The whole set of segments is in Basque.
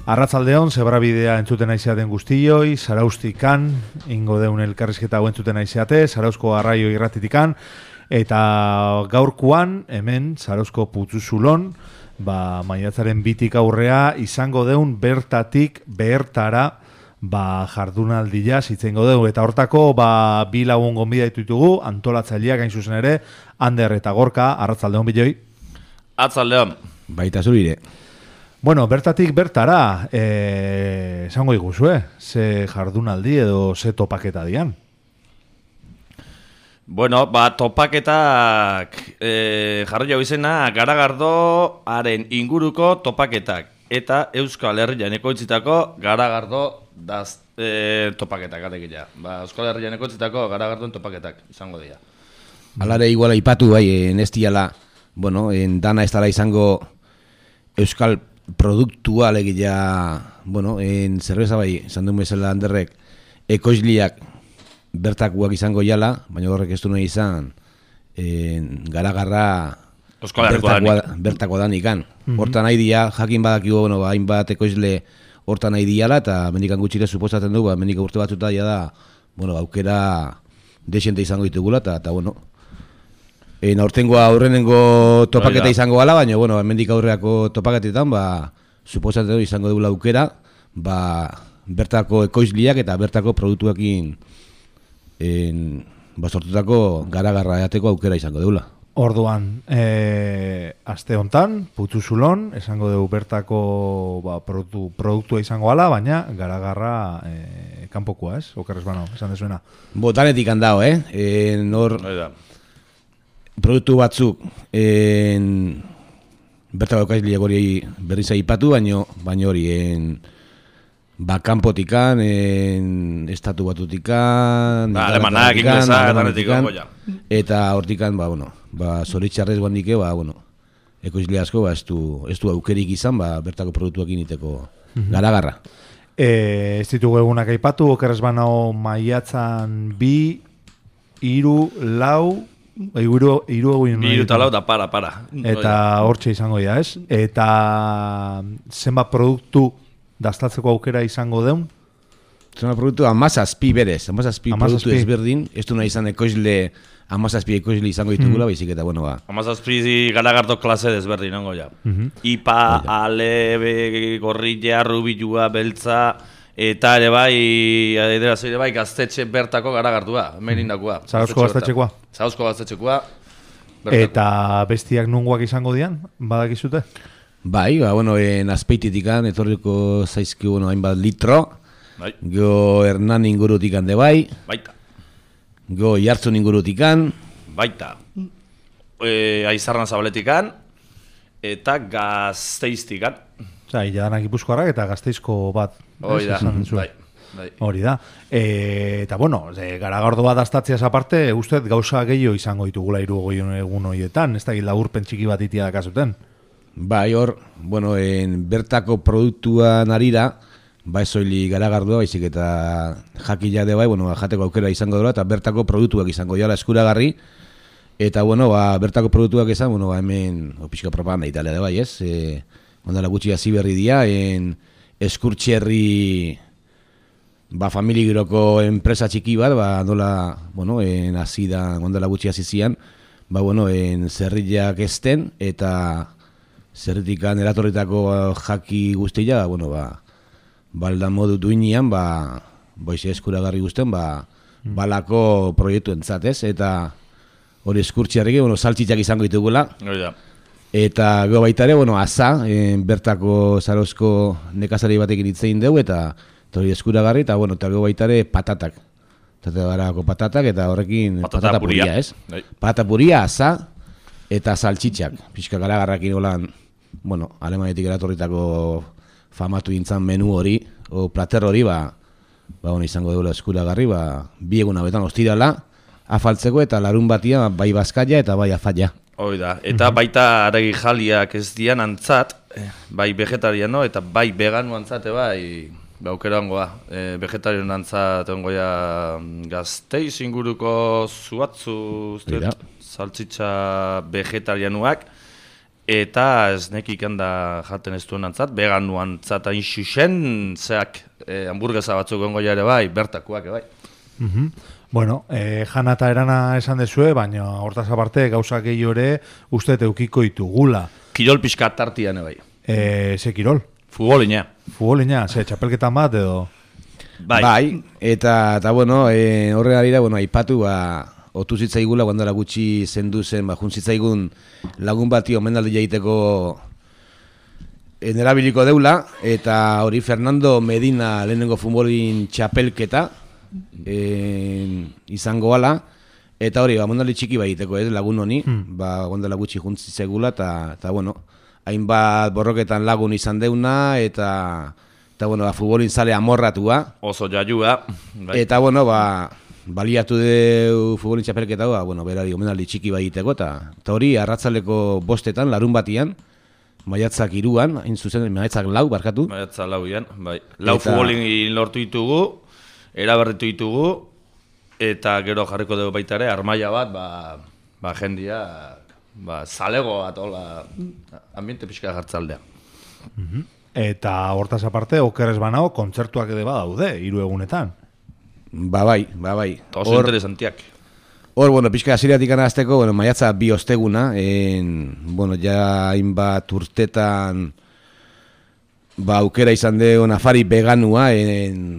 Arratzaldeon, zebrabidea entzuten aizeaten guztioi, Zaraustikan, ingo deun elkarrizketa hau entzuten aizeate, Zarauzko Arraio irratitikan, eta gaurkoan, hemen, Zarauzko Putzuzulon, maiatzaren 2tik aurrea, izango deun bertatik behertara, jardunaldia zitzengo dugu, eta hortako, bi lagun gonbidaitu ditugu, antolatzaileak hain zuzen ere, Ander eta Gorka, arratzaldeon biloi. Atzaldeon. Baita zurire. Bueno, bertatik bertara, esango iguzu, ze jardunaldi edo ze topaketa dian? Bueno, topaketak jarri jau izena Garagardoaren inguruko topaketak eta Euskal Herrian ekoitzitako Garagardo topaketak alegia. Euskal Herrian ekoitzitako Garagardoen topaketak izango dira. Alare iguala ipatu bai, nestiala, bueno, dana ez dara izango Euskal produktua alegia, bueno, zerbeza bai, esan duen bezala Anderrek, ekoizliak bertakuak izango jala, baina horrek ez du nahi izan, Garagarra bertako dan ikan. Hortan nahi dia, jakin badakigu, bueno, hainbat ekoizle hortan nahi diala, eta mendikan gutxire suposatzen du, mendik urte batzuta da, bueno, aukera desente izango ditugula, eta bueno, aurtengoa aurrenengo topaketa izango gala, baina, bueno, mendik aurreako topaketetan, suposatzen du izango dugula aukera, bertako ekoizliak eta bertako produktuekin sortutako Garagarra eateko aukera izango dugula. Orduan, aste hontan, Putzuzulon, esango dugu bertako produktua izango gala, baina Garagarra kanpokoa, ez? Okerrez bano, esan dezuena. Danetik handao, nor produktu batzuk bertako ekoizliak hori berriz aipatu, baina hori kanpotikan, estatu batutikan, alemanak, inglesak, danetikan, eta hortikan, zoritxarrez bandike, ekoizle asko, ez du aukerik izan, bertako produktuak initeko Garagarra. Ez ditugu egunak aipatu, okerrez banao maiatzan 2, 3, 4, Hiru eta lau da para. Eta hortxe izango dira, ez? Eta zenbat produktu daztatzeko aukera izango deun? Zenbat produktu amazazpi berez, amazazpi produktu ezberdin, ez du nahi izan ekoizle, amazazpi ekoizle izango ditugula, baizik eta bueno Amazazpi Garagardo klase desberdin, nango ja. Ipa, alebe, gorrilla, rubilua, beltza, eta ere bai, gaztetxe bertako Garagardua, merindakoa. Zarauzko gaztetxekoa? Zarauzko gaztetxekoa. Eta bestiak nungoak izango dian, badakizute? Bai, azpeititikan, etorriko zaizki, hainbat litro, go Hernan ingurutikan de bai, go Jartzun ingurutikan, baita, Aizarran Zabaletikan, eta Gazteiztikan. Jadanak Gipuzkoarrak eta Gazteizko bat. Hori da, bai. Hori da. Eta, bueno, Garagardo bat astatziaz aparte, ustez gauza gehiago izango ditugula 3 egun horietan, ez da laburpen txiki bat itia dakazuten. Bai, hor, bertako produktuan arira, soili Garagardoa, baizik eta jakila de bai, jateko aukera izango dela, eta bertako produktuak izango jala eskuragarri, eta, bertako produktuak izan, hemen, pixka propaganda italia de bai, ez? Ondala gutxi hasi berri dia, Eskurtxerri familigiroko enpresa txiki bat, hasi da, ondala gutxi hasi zian, zerriak ezten, eta zerritikan eratorritako jaki guztia, balda modu duinean, eskuragarri guztien, balako proiektu entzatez, eta hori Eskurtxerri, saltxitzak izango ditugula. Eta gero baita ere, aza, bertako Zarauzko nekazari batekin hitzein dugu, eta hori eskuragarri, eta gero baita ere patatak. Patatak, eta horrekin patata puria, ez? Patata puria, aza, eta saltxitxak. Pixka Garagarrakin holan, alemanetik eratorritako famatu dintzan menu hori, o plater hori, izango dugu eskuragarri, 2 egun hauetan ostirala, afaltzeko, eta larun batia, bai bazkaia eta bai afaia. Hoi da, eta baita aragi jaliak ez dian antzat, bai vegetariano eta bai vegano antzate aukera ongoa. Vegetariano antzat ongoia Gazteiz inguruko zuatzu, saltzitza vegetarianuak, eta ez nekik handa jaten ez duen antzat, veganuan antzat hain xuxen, zeak hamburguesa batzuk gongo ere bai, bertakoak bai. Bueno, jana eta erana esan dezue, baina hortaz aparte gauzak gehiago ere uste eukiko ditugula. Kirol pixka tartian bai. Ze kirol? Futbolina. Futbolina, ze txapelketan bat edo? Bai, eta bueno, horre harira, bueno, aipatu, otu zitzaigula, guandala gutxi zendu zen, jun zitzaigun lagun bati omendaldi jaiteko nerabiliko deula, eta hori Fernando Medina lehenengo futbolin txapelketa izango ala, eta hori, omendaldi txiki baiteko, lagun honi, guandala gutxi jun zitzaigula, eta bueno, hainbat borroketan lagun izan deuna, eta bueno, futbolin zale amorratua. Oso jaiua. Bai. Eta bueno, baliatu deu futbolin txapelketa, bueno, berari omenaldi txiki baiteko, eta hori arratzaleko 5etan, larun batian, maiatzak 3an, hain zuzen, maiatzak 4, barkatu. Maiatzak 4an, bai. 4 futbolin lortu ditugu, eraberritu ditugu, eta gero jarriko dugu baita ere, armaia bat, jendia, zalego bat, hola, ambiente pixka jartzaldea. Eta hortaz aparte, okerrez banao, kontzertuak ere badaude, 3 egunetan. Bai. Oso interesantiak. Hor, bueno, pixka asiriatik anazteko, bueno, maiatza 2 osteguna, bueno, ja hainbat urtetan, aukera izan deon afari veganua,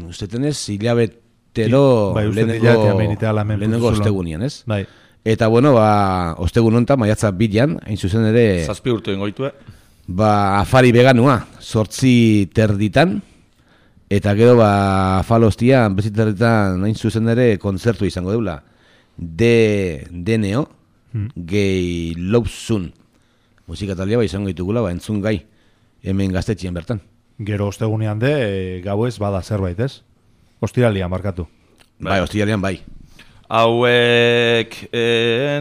ustetenez, hilabetero lehenengo ostegunian, ez? Bai. Eta, bueno, ostegun honetan, maiatza 2an, hain zuzen ere... 7 urte ingoitue. Afari veganua, 8:30, eta gero afalostian, 8:30, hain zuzen ere, kontzertu izango deula. DNO, Gay Love Soon. Musika talia izango ditugula, entzun gai, hemen gaztetxien bertan. Gero ostegunean gauez bada zerbait, ez? Ostiralian, markatu. Bai, ostiralian bai. Hauek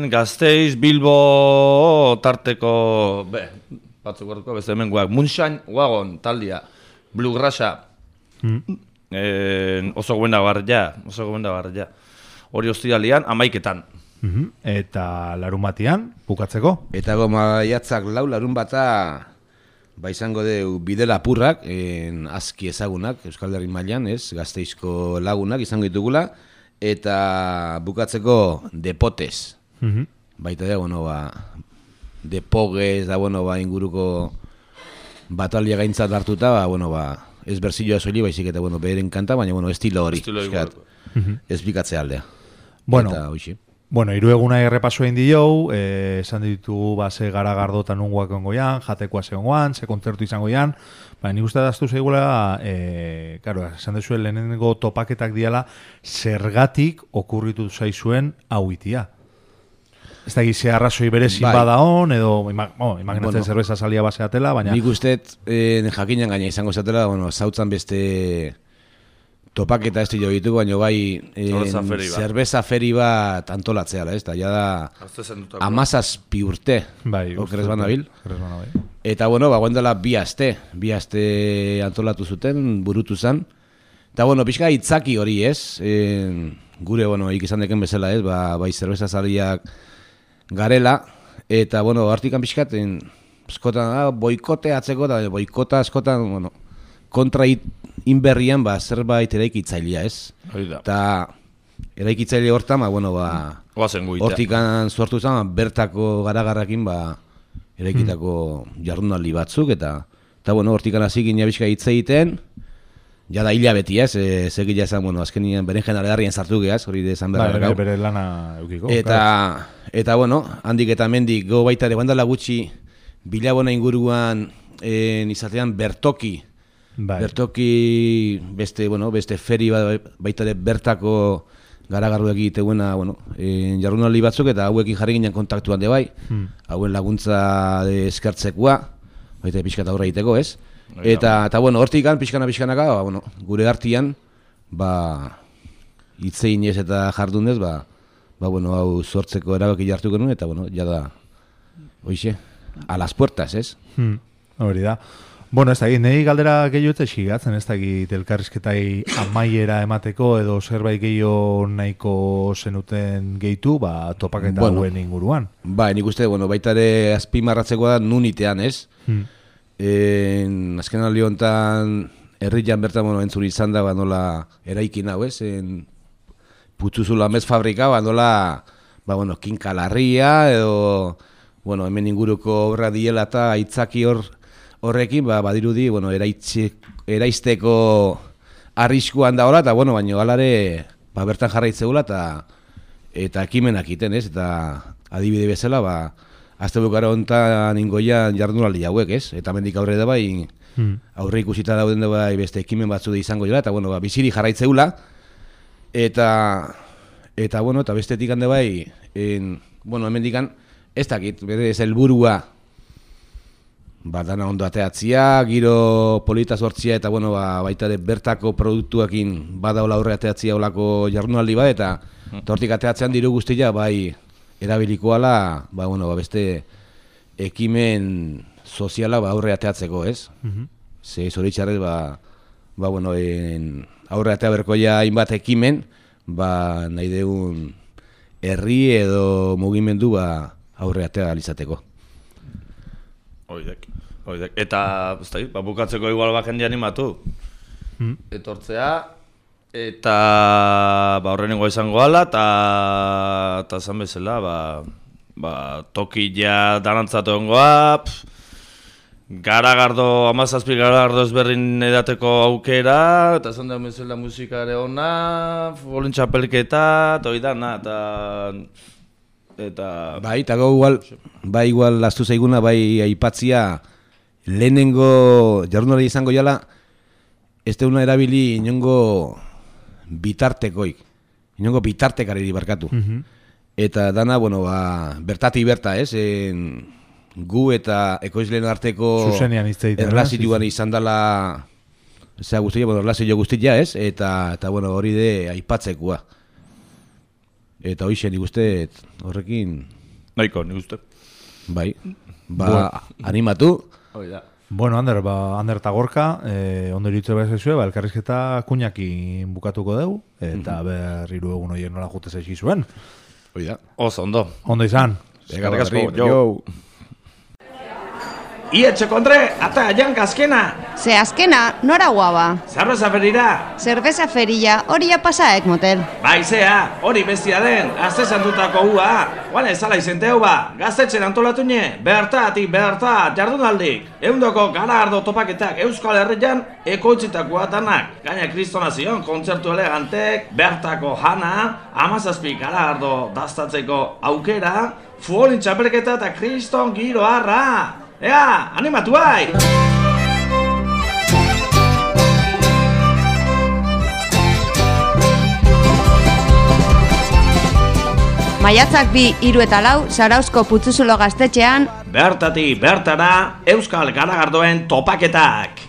Gasteiz, Bilbo, tarteko, batzuk gortuko, beste hemen guak, Moonshine Wagon taldia, Bluegrassa, oso gobenda barria, hori ostiralian, 11etan. Eta larun batian, bukatzeko? Eta maiatzak 4, larun bata, izango deu bide lapurrak, aski ezagunak, Euskal Herri mailan, ez, Gasteizko lagunak izango ditugula, eta bukatzeko depotes. Baita da, bueno, depoges, inguruko batalia gaintzat hartuta, ez berzilloa soili, baizik eta, beheren kanta, baina, estilo hori. Ez bikatze aldea. Bueno, 3 eguna errepaso egin dio, esan ditugu ze garagardo eta nunguak ongoian, jatekoa zegoan, ze kontzertu izango ian, nik uste daztu zeigula, esan dezuen lehenengo topaketak diala, zergatik okurritu zaizuen hau itia. Ez da gizea arrazoi berezin bada hon, edo imaginatzen zerbeza salia baseatela, baina... Nik uste, jakinan gaina izango zatela, zautzan beste topaketa ez dira ditugu, baina zerbeza feri bat antolatzeala, ez da, ja da 17 urte, okerrez banabil. Eta, guendela 2 aste antolatu zuten, burutu zen. Eta, pixka itzaki hori, ez, gure, ikizan deken bezala, ez, bai zerbeza saliak garela, eta, hartikan pixkat, eskotan, boikote atzeko, eta boikota eskotan, kontra inberrian, zerbait eraikitzailea, ez? Eta eraikitzaile hortan, hortikan sortu zen, bertako garagarrakin, eraikitako jardunaldi batzuk, eta hortikan hasi gina bizka hitz egiten, jada hilabeti, ez? Segila esan, azkenien beren jenalegarrien sartu geaz, hori desan berra. Bere lana eukiko. Eta, handik eta mendik, go baita ere, guandala gutxi, Bilabona inguruan izatean bertoki, beste feri baita ere bertako garagarru egiteguena, jardunaldi batzuk, eta hauekin jarri ginen kontaktuan de bai, hauen laguntza eskertzekoa, baita pixkata horra egiteko, ez? Eta hortikan, pixkanaka, gure hartian, hitzein ez eta jardunez, hau sortzeko erabaki jartu genuen, eta, jada, a las puertas, ez? Hori da. Bueno, ez dakit, nahi galdera gehiago xigatzen, ez dakit elkarrizketai amaiera emateko edo zerbait gehiago nahiko zenuten gehitu, topaketa hauen inguruan. Nik uste, baita ere azpimarratzekoa da nunitean, ez? Azken aldi honetan herrian bertan entzun izan da, nola eraikin hau, ez? Putzuzula mez fabrika, nola, kinkalarria edo, hemen inguruko obra diela eta aitzaki horrekin, badirudi, eraisteko arriskuan da hola, eta, baina alare, bertan jarraitzeula eta ekimenak iten, ez? Eta adibide bezala, azte bukara honetan ingoian jardunaldi hauek, ez? Eta mendik aurre da aurre ikusita dauden da beste ekimen batzu izango dira, eta, biziri jarraitzeula, eta bestetik hande hemen dikan, ez dakit, bere ez helburua, dana ondo ateatzia, giro polita sortzia, eta baita ere bertako produktuakin badaola aurre ateatzia olako jardunaldi bat, eta hortik ateatzean diru guztia, erabilikoala, beste ekimen soziala aurre ateatzeko, ez? Ze zoritxarrez, aurre atea berkoia hainbat ekimen, nahi deun herri edo mugimendu aurre atea alizateko. Oidek. Eta, bukatzeko igual jende animatu. Etortzea, eta horrenengo izango ala, eta zan bezala, tokia danantzatu ongoa, Garagardo, 17 garagardo ezberdin edateko aukera, eta zan da bezala musikare ona, futbolin txapelketa, eta hori dana, eta... Eta igual lastu zaiguna, aipatzia, lehenengo jardunaldi izango jala, ez deuna erabili inongo bitartekoik, inongo bitartekarri barkatu. Eta dana, bertati berta, ez? Gu eta ekoizleen arteko erlazioan izan dela, erlazio guztia, ez? Eta hori de aipatzekoa. Eta hoxe nik uste horrekin... Nahiko, nik uste. Animatu. Bueno, Ander eta Gorka, ondo iritze behar zezue, elkarrizketa kuñakin bukatuko dugu, eta berriru egun horien nola jute zaizi zuen. Oso, ondo. Ondo izan. Eskerrik asko, jo. Ietxeko Andre, ata janka azkena. Ze azkena, nora guaba? Cerveza ferira. Cerveza ferilla, hori ja pasaek motel. Baizea, hori bestia den, azte santutako ua. Guane zala izente hau gaztetxen antolatu nie, bertatik, jardunaldik. Eundoko garagardo topaketak Euskal Herrian ekoitzitakoa danak. Gaina kristonazion, kontzertu elegantek, bertako jana, 17 garagardo daztatzeko aukera, futbolin txapelketa eta kriston giro harra. Ea, animatu bai! Maiatzak 2, 3 eta 4, Zarauzko Putzuzulo gaztetxean bertatik bertara Euskal Garagardoen topaketak.